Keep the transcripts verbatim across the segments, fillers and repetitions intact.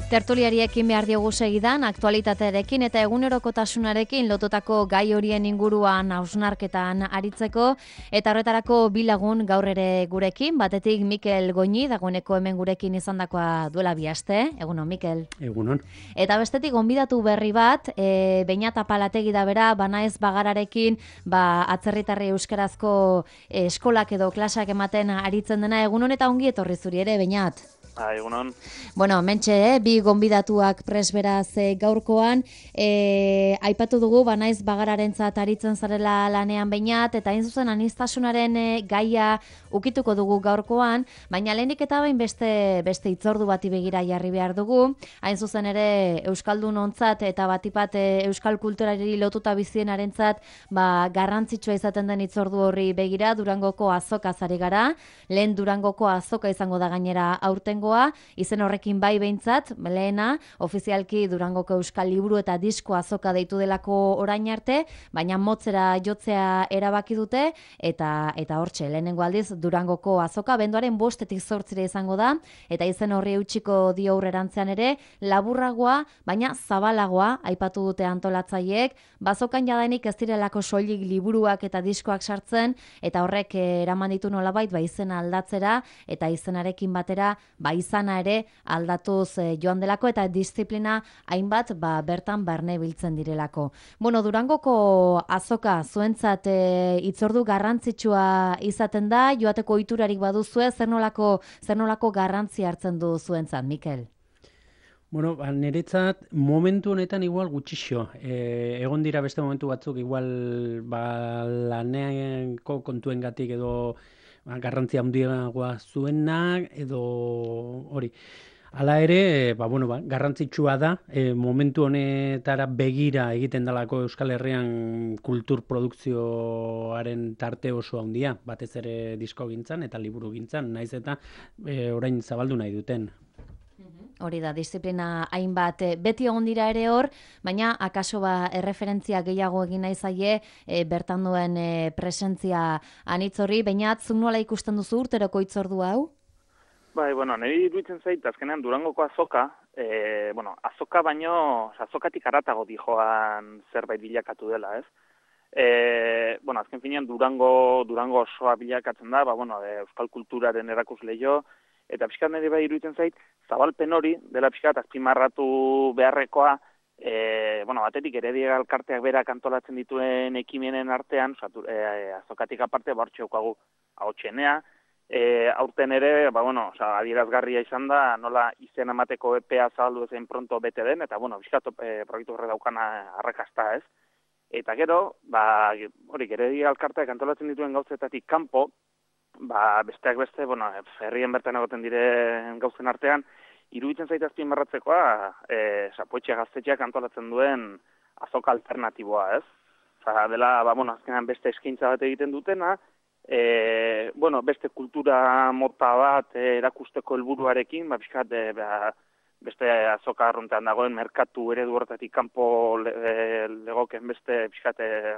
Tertuliariekin behar diogu segidan, aktualitatearekin eta egunerokotasunarekin lotutako gai horien inguruan hausnarketan aritzeko, eta horretarako bilagun gaur ere gurekin, batetik Mikel Goñi, dagoeneko hemen gurekin izandakoa duela bi aste. Egunon, Mikel. Egunon. Eta bestetik gonbidatu berri bat, e, Beñat Apalategi da bera, Banaez Bagararekin, ba, atzerritarri euskarazko e, eskolak edo klasak ematen aritzen dena. Egunon eta ongi etorri zuri ere, Beñat. Ah, egunon. Bueno, mentxe, eh? bi gonbidatuak presberaz eh, gaurkoan, eh, aipatu dugu Banaiz Bagararentzat aritzen zarela lanean Beñat, eta hain zuzen aniztasunaren eh, gaia ukituko dugu gaurkoan, baina lehenik eta bain beste, beste itzordu bati begira jarri behar dugu, hain zuzen ere Euskaldun ontzat eta batipat eh, Euskal kulturari lotuta bizienarentzat ba, garrantzitsua izaten den itzordu horri begira, Durangoko azoka zari gara, lehen Durangoko azoka izango da gainera aurtengo, izen horrekin bai behintzat, lehena, ofizialki Durangoko Euskal Liburu eta Disko azoka deitu delako orain arte, baina motzera jotzea erabaki dute, eta eta hortxe, lehenengo aldiz Durangoko azoka, benduaren bostetik zortzire izango da, eta izen horri eutxiko dio aurrerantzean ere, laburragoa, baina zabalagoa, aipatu dute antolatzaileek, bazokan jadanik ez direlako soilik liburuak eta diskoak sartzen, eta horrek eraman ditu nolabait, ba izena aldatzera, eta izenarekin batera, ba izana ere aldatuz eh, joan delako eta disiplina hainbat ba, bertan barne biltzen direlako. Bueno, Durangoko azoka zuentzat eh, itzordu garrantzitsua izaten da, joateko ohiturarik baduzue, zer nolako, zer nolako garrantzi hartzen du zuentzat, Mikel? Bueno, ba, niretzat momentu honetan igual gutxixo. E, egon dira beste momentu batzuk igual ba, laneko kontuengatik edo garrantzia handiagoa zuenak edo hori. Hala ere, ba, bueno, ba, garrantzitsua da, e, momentu honetara begira egiten dalako Euskal Herrian kultur produkzioaren tarte oso handia, batez ere disko gintzan eta liburu gintzan, naiz eta e, orain zabaldu nahi duten. Hori da, disiplina hainbat beti egon dira ere hor, baina akaso ba erreferentzia gehiago egin nahi zaie e, bertan duen e, presentzia anitzorri, Beñat, zuk nola ikusten duzu urteroko itzordu hau? Bai, bueno, niri iruditzen zait, azkenean Durangoko azoka, e, bueno, azoka baino, azokatik aratago dijoan zerbait bilakatu dela, ez? E, bueno, azken finean Durango, Durango osoa bilakatzen da, ba, bueno, e, Euskal kulturaren erakusleio, eta pixkat nire bai iruditzen zait, zabalpen hori, dela pixkat azpimarratu beharrekoa, e, bueno, batetik Heredia Elkarteak berak antolatzen dituen ekimenen artean, osatu, e, azokatik aparte, bortxe daukagu ahotsenea, e, aurten ere, ba, bueno, oza, adierazgarria izan da, nola izen emateko epea zabaldu ezen pronto bete den, eta, bueno, pixkat e, proiektu horre daukana arrakasta, ez? Eta gero, ba, hori, Heredia Elkarteak antolatzen dituen gauzetatik kanpo, ba, besteak beste, bueno, herrien bertan egoten diren gauzen artean, iruditzen zaita azpimarratzekoa, e, Zapoetxe Gaztetxeak antolatzen duen azoka alternatiboa, ez? Oza, dela, ba, bueno, azkenan beste eskaintza bat egiten dutena, e, bueno, beste kultura mota bat e, erakusteko helburuarekin, ba, pixkat, e, ba, beste azoka arruntean dagoen merkatu eredu horretatik kanpo le, e, legoken beste pixkat, e,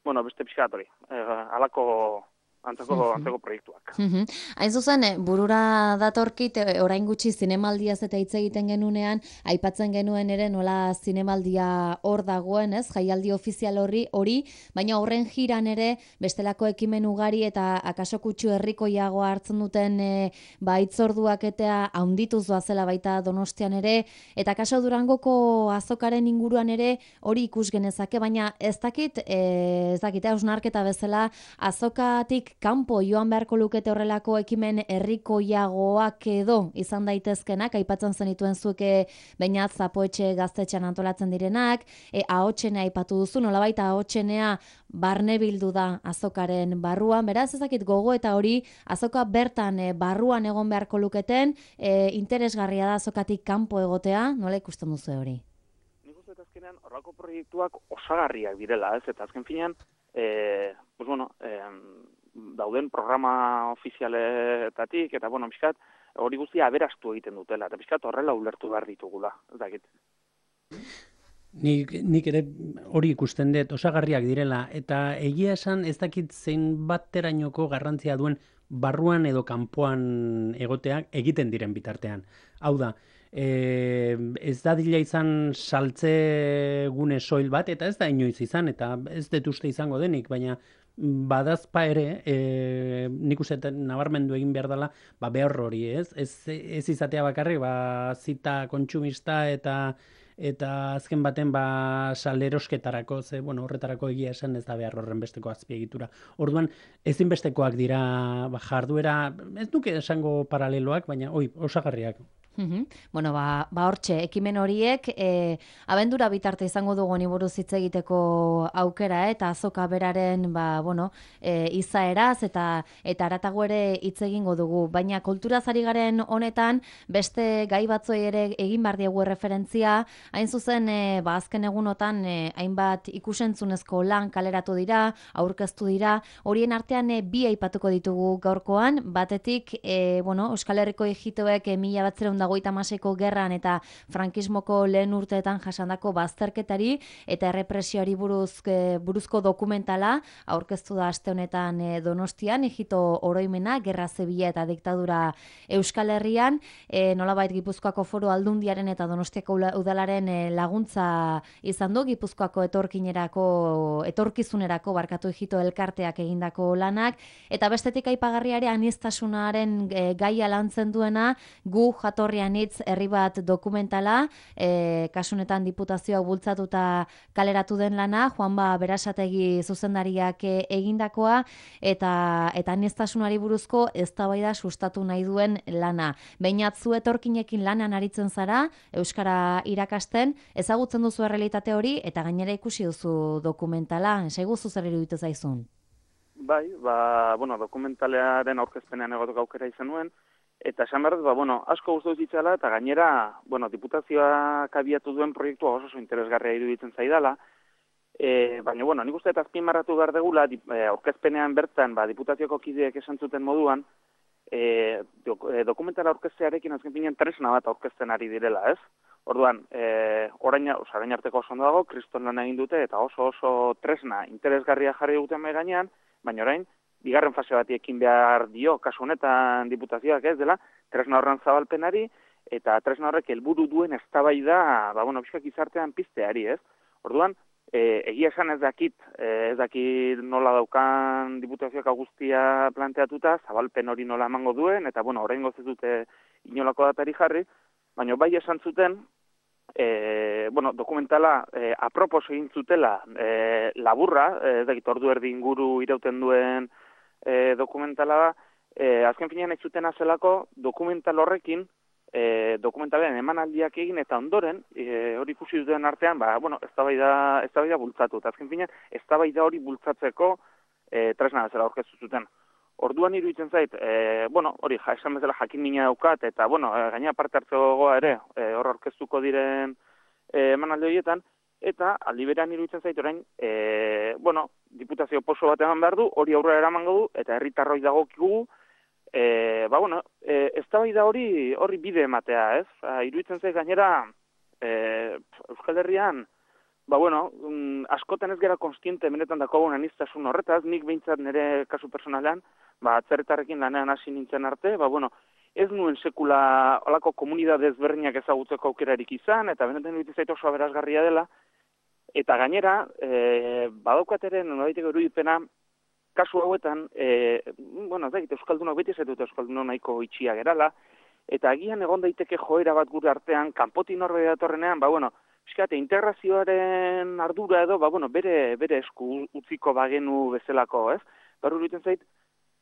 bueno, beste pixkat hori, e, alako antzeko, antzeko proiektuak. Hain zuzen, burura datorkit, orain gutxi zinemaldiaz eta hitz egiten genunean, aipatzen genuen ere nola zinemaldia hor dagoen, ez? Jaialdi ofizial horri, hori, baina horren jiran ere bestelako ekimen ugari eta akaso kutsu herrikoiagoa hartzen duten e, ba, itzorduak eta haundituz doazela baita Donostian ere, eta akaso Durangoko azokaren inguruan ere hori ikus genezake, baina ez dakit, e, ez dakit, hausnarketa bezala azokatik kanpo joan beharko lukete horrelako ekimen herrikoiagoak edo izan daitezkenak, aipatzen zenituen zuke Beñat Zapoetxe Gaztetxean antolatzen direnak, e, ahotsenea aipatu duzu, nolabait ahotsenea barne bildu da azokaren barruan, beraz ezakit gogo eta hori azoka bertan e, barruan egon beharko luketen, e, interesgarria da azokatik kanpo egotea, nola ikusten duzu hori? Nik uste azkenean horrako proiektuak osagarriak direla, ez? Eta azken finean, e, pues bueno, e, dauden programa ofizialetatik, eta, bueno, pixkat, hori guztia aberastu egiten dutela, eta pixkat horrela ulertu behar ditugula, ez dakit. Nik, nik ere hori ikusten dut, osagarriak direla, eta egia esan ez dakit zein baterainoko garrantzia duen barruan edo kanpoan egoteak egiten diren bitartean. Hau da, e, ez da dila izan saltze gune soil bat, eta ez da inoiz izan, eta ez dut uste izango denik, baina badazpa ere, e, nik uste nabarmendu egin behar dela, ba, behar hori, ez? Ez, ez izatea bakarrik, ba, zita kontsumista eta eta azken baten ba salerosketarako, ze, bueno, horretarako egia esan ez da behar horren besteko azpiegitura. Orduan, ezinbestekoak dira ba, jarduera, ez duke esango paraleloak, baina oi, osagarriak. Uhum. Bueno, ba, ba hortxe, ekimen horiek, e, abendura bitarte izango dugu ni buruz hitz egiteko aukera, eta azoka beraren, ba, bueno, e, izaeraz, eta eta aratago ere hitz egingo dugu. Baina kulturaz ari garen honetan, beste gai batzoi ere egin behar diegu referentzia, hain zuzen, e, ba, azken egunotan, e, hainbat ikusentzunezko lan kaleratu dira, aurkeztu dira, horien artean e, bi aipatuko ditugu gaurkoan, batetik, e, bueno, Euskal Herriko ejitoek e, mila batziehun eta hogeita hamaseiko gerran eta frankismoko lehen urteetan jasandako bazterketari eta errepresioari buruz, e, buruzko dokumentala aurkeztu da aste honetan e, Donostian, ejito oroimena, gerra zibila eta diktadura Euskal Herrian, e, nolabait Gipuzkoako Foru Aldundiaren eta Donostiako udalaren e, laguntza izan du, Gipuzkoako etorkinerako, etorkizunerako barkatu ejito elkarteak egindako lanak, eta bestetik aipagarriare aniztasunaren e, gaia lantzen duena, gu jatorrian hitz herri bat dokumentala, e, kasunetan diputazioak bultzatuta kaleratu den lana, Juanba Berasategi zuzendariak e, egindakoa, eta eta aniztasunari buruzko eztabaida sustatu nahi duen lana. Behinat zu etorkinekin lanean aritzen zara, euskara irakasten, ezagutzen duzu errealitate hori, eta gainera ikusi duzu dokumentala, esaigu zer iruditu zaizun? Bai, ba, bueno, dokumentalearen aurkezpenean egotuk aukera izan nuen, eta esan behar dut, ba, bueno, asko gustatu zitzala, eta gainera, bueno, diputazioak abiatu duen proiektua oso oso interesgarria iruditzen zaidala, e, baina, bueno, nik uste eta azpimarratu behar degula, dip, e, aurkezpenean bertan, ba, diputazioko kideek esan zuten moduan, e, dok, e, dokumentala aurkeztearekin azken finean tresna bat aurkezten ari direla, ez? Orduan, e, orain, oza, orain arteko oso ondo dago, kriston lan egin dute, eta oso oso tresna interesgarria jarri duten mai gainean, baina orain, bigarren fase bati ekin behar dio, kasu honetan diputazioak ez dela, tresna horren zabalpenari, eta tresna horrek helburu duen eztabaida, ba, bueno, pixka gizartean pizteari, ez? Orduan, e, egia esan ez dakit, e, ez dakit nola daukan diputazioak guztia planteatuta, zabalpen hori nola emango duen, eta, bueno, orain gozet dute inolako datari jarri, baina bai esan zuten, E, bueno, dokumentala e, apropos egin zutela e, laburra, e, ez dakit ordu erdi inguru irauten duen e, dokumentala da, e, azken finean ez zuten azelako dokumental horrekin, e, dokumentalen emanaldiak egin eta ondoren, e, hori ikusi duten artean, ba, bueno, eztabaida, eztabaida bultzatu, eta azken finean eztabaida hori bultzatzeko e, tresna bezala aurkeztu zuten. Orduan iruditzen zait, e, bueno, hori, ja, esan bezala jakin mina daukat, eta, bueno, e, gaina parte hartzegoa ere, e, hor aurkeztuko diren e, emanaldi horietan, eta aldi berean iruditzen zait orain, e, bueno, diputazio poso bat eman behar du, hori aurrera eramango du, eta herritarroi dagokigu, e, ba, bueno, e, eztabaida hori horri bide ematea, ez? Ba, iruditzen zait gainera, e, Euskal Herrian, ba, bueno, um, askotan ez gara konstiente benetan dakogun aniztasun horretaz, nik behintzat nire kasu personalean, ba, atzerritarrekin lanean hasi nintzen arte, ba, bueno, ez nuen sekula olako komunidade ezberdinak ezagutzeko aukerarik izan, eta benetan iruditzen zait oso aberasgarria dela, eta gainera, e, badaukateren, noraiteko irudipena, kasu hauetan, e, bueno, ez da, euskaldunok beti ez dut euskaldunok nahiko itxia gerala, eta agian egon daiteke joera bat gure artean, kanpotik norbait datorrenean, ba, bueno, fiskate, integrazioaren ardura edo, ba, bueno, bere, bere esku utziko bagenu bezalako, ez? Baru iruditzen zait,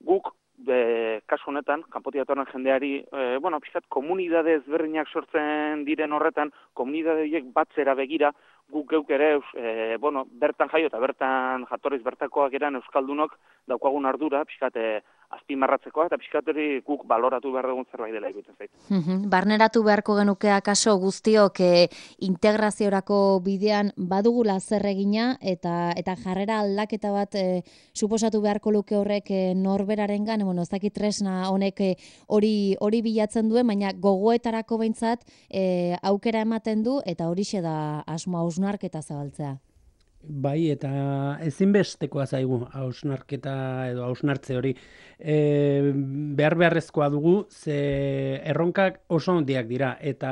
guk, e, kasu honetan, kanpotik datorren jendeari, e, bueno, fiskat, komunidade ezberdinak sortzen diren horretan, komunidade horiek batzera begira, guk geuk ere, e, bueno, bertan jaio eta bertan jatorriz bertakoak eran euskaldunok daukagun ardura, fiskate, azpimarratzekoa, eta pixkat hori guk baloratu behar dugun zerbait dela egiten zait. Barneratu beharko genuke akaso guztiok e, integraziorako bidean badugula zer egina, eta eta jarrera aldaketa bat e, suposatu beharko luke horrek e, norberarengan, bueno, ez dakit tresna honek e, hori hori bilatzen duen, baina gogoetarako behintzat e, aukera ematen du, eta horixe da asmo hausnarketa zabaltzea. Bai, eta ezinbestekoa zaigu hausnarketa edo hausnartze hori. E, behar beharrezkoa dugu, ze erronkak oso handiak dira, eta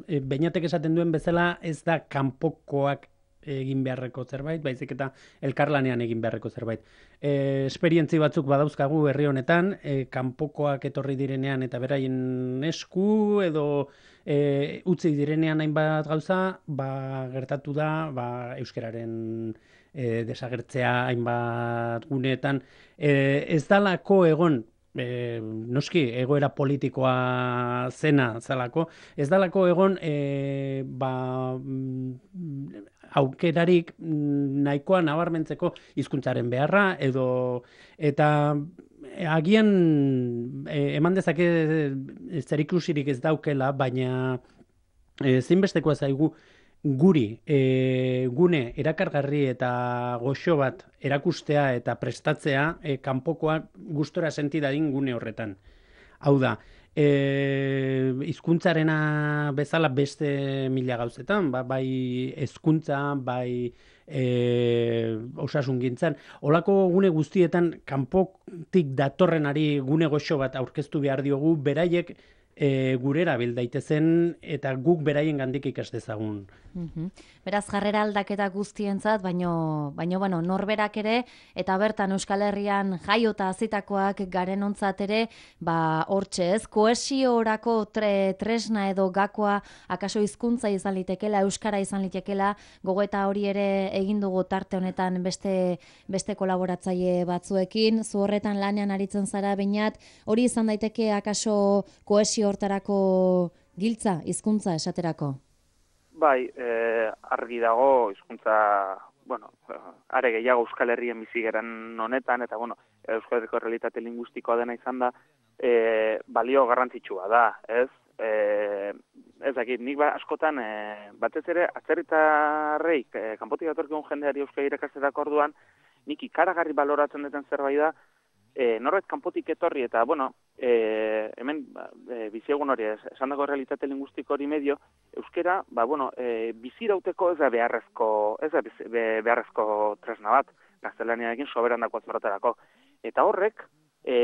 e, Beñatek esaten duen bezala ez da kanpokoak egin beharreko zerbait, baizik eta elkarlanean egin beharreko zerbait. E, esperientzi batzuk badauzkagu herri honetan, e, kanpokoak etorri direnean eta beraien esku edo e, utzi direnean hainbat gauza, ba, gertatu da ba, euskararen e, desagertzea hainbat guneetan. E, ez dalako egon, E, noski, egoera politikoa zena zalako, ez dalako egon e, ba, aukerarik nahikoa nabarmentzeko hizkuntzaren beharra edo eta agian e, eman dezake zerikusirik ez daukela, baina e, zinbestekoa zaigu guri e, gune erakargarri eta goxo bat erakustea eta prestatzea e, kanpokoa gustora senti dadin gune horretan. Hau da, e, hizkuntzarena bezala beste mila gauzetan, ba, bai hezkuntza, bai e, osasungintzan, olako gune guztietan kanpotik datorrenari gune goxo bat aurkeztu behar diogu, beraiek E, gurera bil daitezen eta guk beraien gandik ikas dezagun. Uhum. Beraz, jarrera aldaketa guztientzat, baino, baino bueno, norberak ere, eta bertan Euskal Herrian jaiota azitakoak garen ontzat ere, ba, hortxe ez, kohesiorako tre, tresna edo gakoa, akaso hizkuntza izan litekela, euskara izan litekela, gogoeta hori ere egin dugu tarte honetan beste, beste kolaboratzaile batzuekin, zu horretan lanean aritzen zara Beñat, hori izan daiteke akaso kohesio hortarako giltza, hizkuntza esaterako? Bai, eh, argi dago hizkuntza, bueno, are gehiago Euskal Herrien bizi garen honetan, eta bueno, Euskal Herriko realitate linguistikoa dena izan da, eh, balio garrantzitsua da, ez? Eh, ez dakit, nik ba, askotan, eh, batez ere, atzerritarrei, eh, kanpotik datorkigun jendeari euskara irakasterako orduan, nik ikaragarri baloratzen duten zerbait da, E, norbait kanpotik etorri eta, bueno, e, hemen e, biziegun hori, esan dago realitate lingustiko hori medio, euskera, ba, bueno, e, bizirauteko ez da beharrezko, ez da be, beharrezko tresna bat, gaztelaniarekin soberan dako azmaraterako. Eta horrek, e,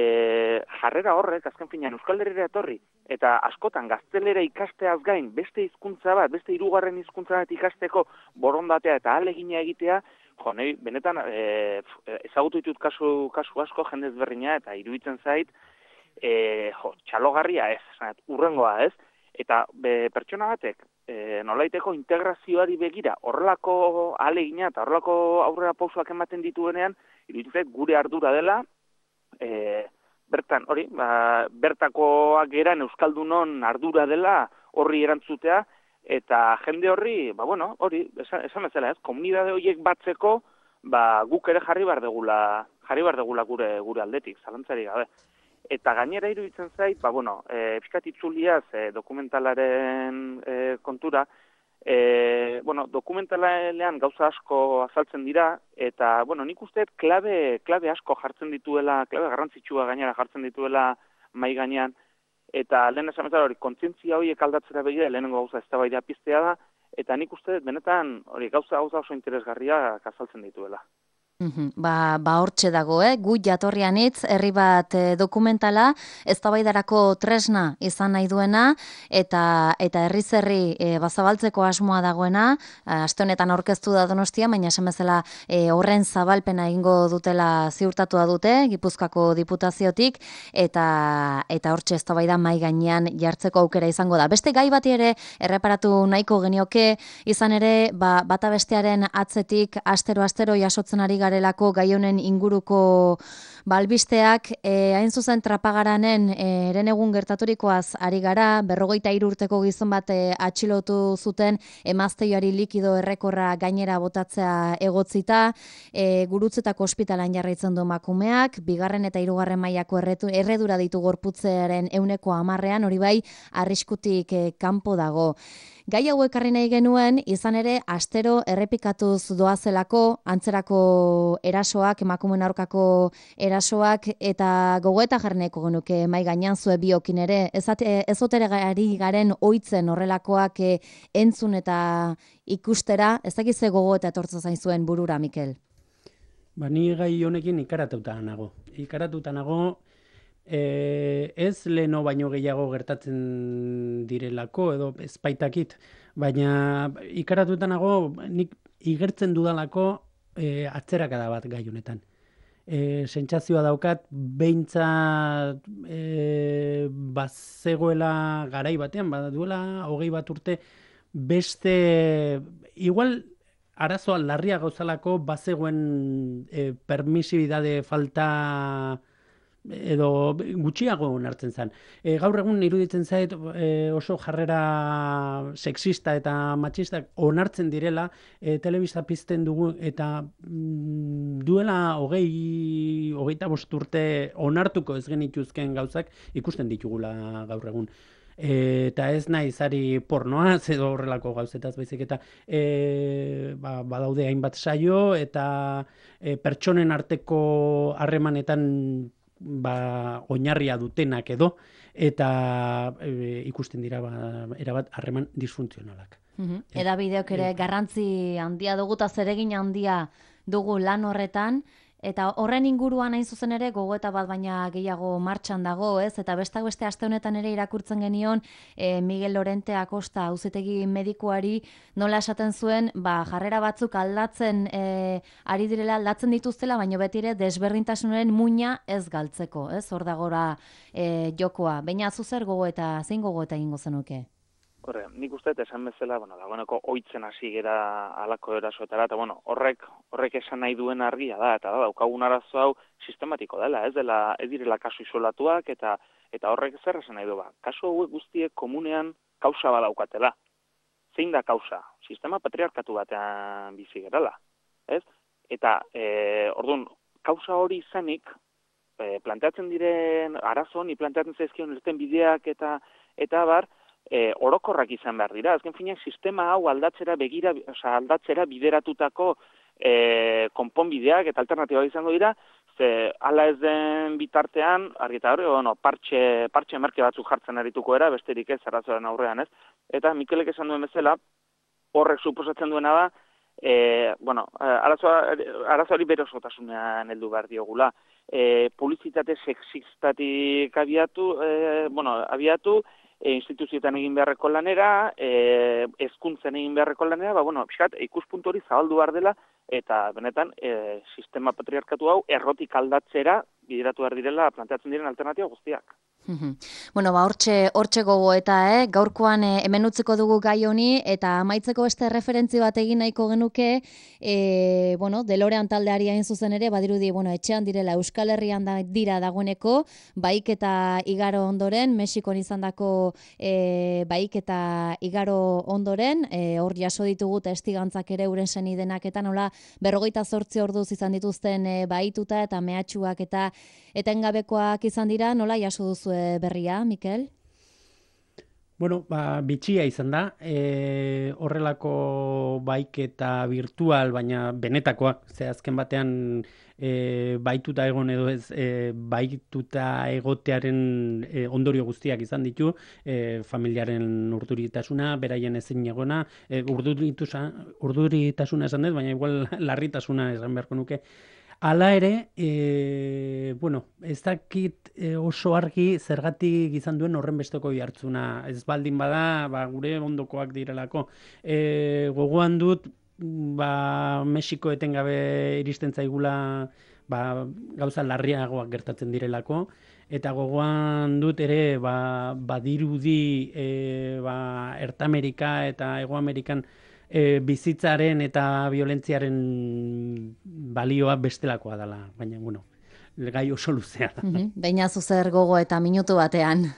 jarrera horrek, azken finean, Euskal Herrira etorri, eta askotan gaztelera ikasteaz gain, beste hizkuntza bat, beste hirugarren hizkuntza bat ikasteko borondatea eta ahalegina egitea, jo, nahi, benetan, e, ezagutu ditut kasu, kasu asko jendez berrina, eta iruditzen zait, e, jo, txalogarria ez, zanat, urrengoa ez, eta be, pertsona batek, e, nolaiteko integrazioari begira, horrelako ahalegina eta horrelako aurrera pausoak ematen dituenean, iruditzen zait, gure ardura dela, e, bertan, hori, ba, bertakoak geran Euskaldunon ardura dela horri erantzutea, eta jende horri, ba bueno, hori, esan, esan bezala, ez, komunidade horiek batzeko, ba guk ere jarri bar degula, jarri bar degula gure gure aldetik, zalantzari gabe. Eta gainera iruditzen zait, ba bueno, eh pizkat itzuliaz e, dokumentalaren e, kontura, e, bueno, dokumentalean gauza asko azaltzen dira eta bueno, nik uste klabe klabe asko jartzen dituela, klabe garrantzitsua gainera jartzen dituela mai gainean. Eta lehen esan bezala hori, kontzientzia horiek aldatzera begira, lehenengo gauza eztabaida piztea da, eta nik uste benetan hori gauza gauza oso interesgarriak azaltzen dituela. Ba, ba hortxe dago, eh? Gu jatorrian hitz, herri bat e, dokumentala, eztabaidarako tresna izan nahi duena, eta eta herriz herri e, bazabaltzeko asmoa dagoena, aste honetan aurkeztu da Donostia, baina esan bezala e, horren zabalpena egingo dutela ziurtatua dute, Gipuzkoako diputaziotik, eta eta hortxe eztabaida mai gainean jartzeko aukera izango da. Beste gai bati ere erreparatu nahiko genioke, izan ere, ba, bata bestearen atzetik astero-astero jasotzen ari garelako gai honen inguruko balbisteak, e, hain zuzen Trapagaranen eren egun gertaturikoaz ari gara, berrogeita hiru urteko gizon bat e, atxilotu zuten emazteioari likido errekorra gainera botatzea egotzita, e, Gurutzetako ospitalan jarraitzen du emakumeak, bigarren eta hirugarren mailako erredura ditu gorputzearen ehuneko hamarrean, hori bai, arriskutik e, kanpo dago. Gai hau ekarri nahi genuen, izan ere, astero errepikatuz doazelako, antzerako erasoak, emakumeen aurkako erasoak, eta gogoeta jarneko genuke mai gainean zue biokin ere, ezotere gari garen oitzen horrelakoak e, entzun eta ikustera, ez dakiz ze gogoeta etortzen zain zuen burura, Mikel? Ba, ni gai honekin ikaratuta nago. Ikaratuta nago, e, ez leno baino gehiago gertatzen direlako, edo ezpaitakit, baina ikaratuta nago, nik igertzen dudalako e, atzerakada bat gai honetan. E, sentsazioa daukat, behintzat e, bazegoela garai batean, baduela hogei bat urte, beste, igual arazoa larria gauzalako bazegoen e, permisibidade falta edo gutxiago onartzen zen. E, gaur egun iruditzen zait e, oso jarrera sexista eta matxistak onartzen direla, e, telebista pizten dugu eta mm, duela hogei, hogeita bost urte onartuko ez genituzken gauzak ikusten ditugula gaur egun. E, eta ez nahi zari pornoaz edo horrelako gauzetaz baizik eta e, ba, badaude hainbat saio eta e, pertsonen arteko harremanetan ba, oinarria dutenak edo eta e, ikusten dira ba, erabat harreman disfuntzionalak. Mm-hmm. Eda bideok ere garrantzi handia dugu eta zeregin handia dugu lan horretan. Eta horren inguruan hain zuzen ere gogoeta bat baina gehiago martxan dago, ez? Eta bestak beste aste honetan ere irakurtzen genion e, Miguel Lorente Acosta auzitegi medikuari nola esaten zuen, ba, jarrera batzuk aldatzen e, ari direla, aldatzen dituztela, baina beti ere desberdintasunaren muina ez galtzeko, ez? Hor dagora e, jokoa. Baina zuzer gogoeta, zein gogoeta egingo zenuke? Horre, nik uste esan bezala, bueno, dagoeneko oitzen hasi gera alako erasoetara, eta bueno, horrek horrek esan nahi duen argia da, eta da, daukagun arazo hau sistematiko dela, ez dela, ez direla kasu isolatuak, eta eta horrek zer esan nahi du ba. Kasu hauek guztiek komunean kausa badaukatela. Zein da kausa? Sistema patriarkatu batean bizi gerala, ez? Eta, e, orduan, kausa hori izanik, e, planteatzen diren arazo honi, planteatzen zaizkion irten bideak eta eta bar, E, orokorrak izan behar dira. Azken finean, sistema hau aldatzera begira, oza, aldatzera bideratutako e, konponbideak eta alternatiba izango dira, ze hala ez den bitartean, argi eta hori, bueno, partxe, partxe merke batzuk jartzen arituko era, besterik ez, arazoaren aurrean ez. Eta Mikelek esan duen bezala, horrek suposatzen duena da, e, bueno, arazo hori bere osotasunean heldu behar diogula. E, publizitate sexistatik abiatu, e, bueno, abiatu, E, instituzioetan egin beharreko lanera, e, hezkuntzen egin beharreko lanera, ba, bueno, pixkat, ikuspuntu hori zabaldu behar dela, eta benetan, e, sistema patriarkatu hau errotik aldatzera bideratu behar direla planteatzen diren alternatiba guztiak. Bueno, ba, hortxe, hortxe gogoeta, eh? Gaurkoan eh, hemen utziko dugu gai honi, eta amaitzeko beste referentzi bat egin nahiko genuke, eh, bueno, Delorean taldeari hain zuzen ere, badirudi, bueno, etxean direla Euskal Herrian da, dira dagoeneko, baik eta igaro ondoren, Mexikon izandako eh, baik eta igaro ondoren, eh, hor jaso ditugu testigantzak ere uren senidenak eta nola berrogeita zortzi orduz izan dituzten eh, baituta eta mehatxuak eta etengabekoak izan dira, nola jaso duzu berria, Mikel? Bueno, ba, bitxia izan da, e, horrelako baiketa virtual, baina benetakoak, ze azken batean e, baituta egon edo ez, e, baituta egotearen e, ondorio guztiak izan ditu, e, familiaren urduritasuna, beraien ezin egona, e, urduritasuna esan dut, baina igual larritasuna esan beharko nuke. Hala ere, e, bueno, ez dakit e, oso argi zergatik izan duen horren besteko jartzuna. Ez baldin bada, ba, gure ondokoak direlako. E, gogoan dut, ba, Mexiko etengabe iristen zaigula ba, gauza larriagoak gertatzen direlako. Eta gogoan dut ere, ba, badirudi e, ba, Erta Amerika eta Hego Amerikan E, bizitzaren eta violentziaren balioa bestelakoa dela, baina, bueno, gai oso luzea da. Mm-hmm. Baina zuzer gogo eta minutu batean.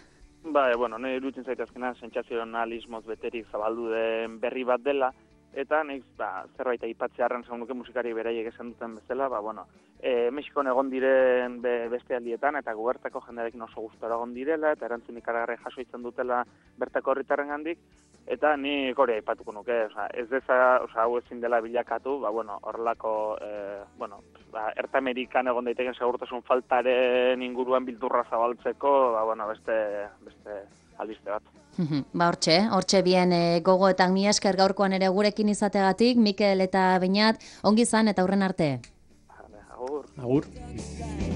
Ba, e, bueno, nire iruditzen zaitazkena, sentsazionalismoz beterik zabaldu den berri bat dela, eta neiz, ba, zerbait aipatzearren zaunduke musikari beraiek esan duten bezala, ba, bueno, e, Mexikon egon diren be, beste aldietan, eta gubertako jendearekin oso gustora egon direla, eta erantzun ikaragarri jaso izan dutela bertako herritarren gandik, Eta ni hori aipatuko nuke, osea, ez deza, osea, hau ezin dela bilakatu, ba, bueno, horrelako, eh, bueno, ba, Erta Amerikan egon daiteken segurtasun faltaren inguruan bildurra zabaltzeko, ba, bueno, beste, beste albiste bat. Ba, hortxe, hortxe bien e, gogoetan mi esker gaurkoan ere gurekin izategatik, Mikel eta Beñat, ongi izan eta aurren arte. Agur. Agur.